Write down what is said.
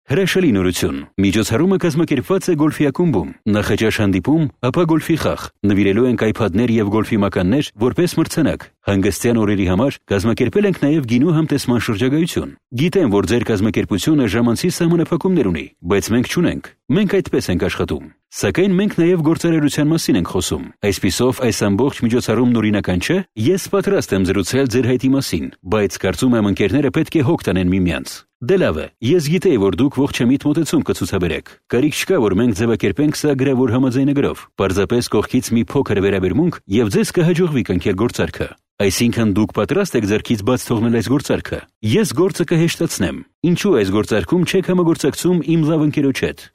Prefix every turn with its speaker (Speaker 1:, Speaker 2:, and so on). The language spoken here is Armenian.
Speaker 1: Հրաշալի նորություն։ Միջոցառումը կազմակերպված է Գոլֆի ակումբում։ Նախաճաշ հանդիպում, ապա գոլֆի խաղ։ Նվիրելու ենք iPad-ներ եւ գոլֆի մականներ որպես մրցանակ։ Հանգստյան օրերի համար կազմակերպել ենք նաեւ գինու համտեսման շրջագայություն։ Գիտեմ, որ ձեր կազմակերպությունը ժամանցի սահմանափակումներ ունի, բայց մենք չունենք։ Մենք այդպես ենք աշխատում։ Սակայն մենք նաև գործարարության մասին ենք խոսում։ Այսպիսով, այս ամբողջ միջոցառումն օրինական չէ։ Ես պատրաստ եմ զրուցել ձեր հայտի մասին, բայց կարծում եմ ընկերները պետք է հոգ տանեն միմյանց։ Դե լավ է, ես գիտեի, որ դուք ողջամիտ մոտեցում կցուցաբերեք։ Կարիք չկա, որ մենք ձևակերպենք սա գրավոր համաձայնագրով։ Պարզապես կողքից մի փոքր վերաբերմունք եւ ձեզ կհաջողվի կնքել գործարքը։ Այսինքն դուք պատրաստ եք ձեռքից բաց թողնել այս գործարքը։ Ես գործը կհեշտացնեմ։ Ինչու այս գործարքում չեք համագործակցում իմ լավ ընկերոջ հետ։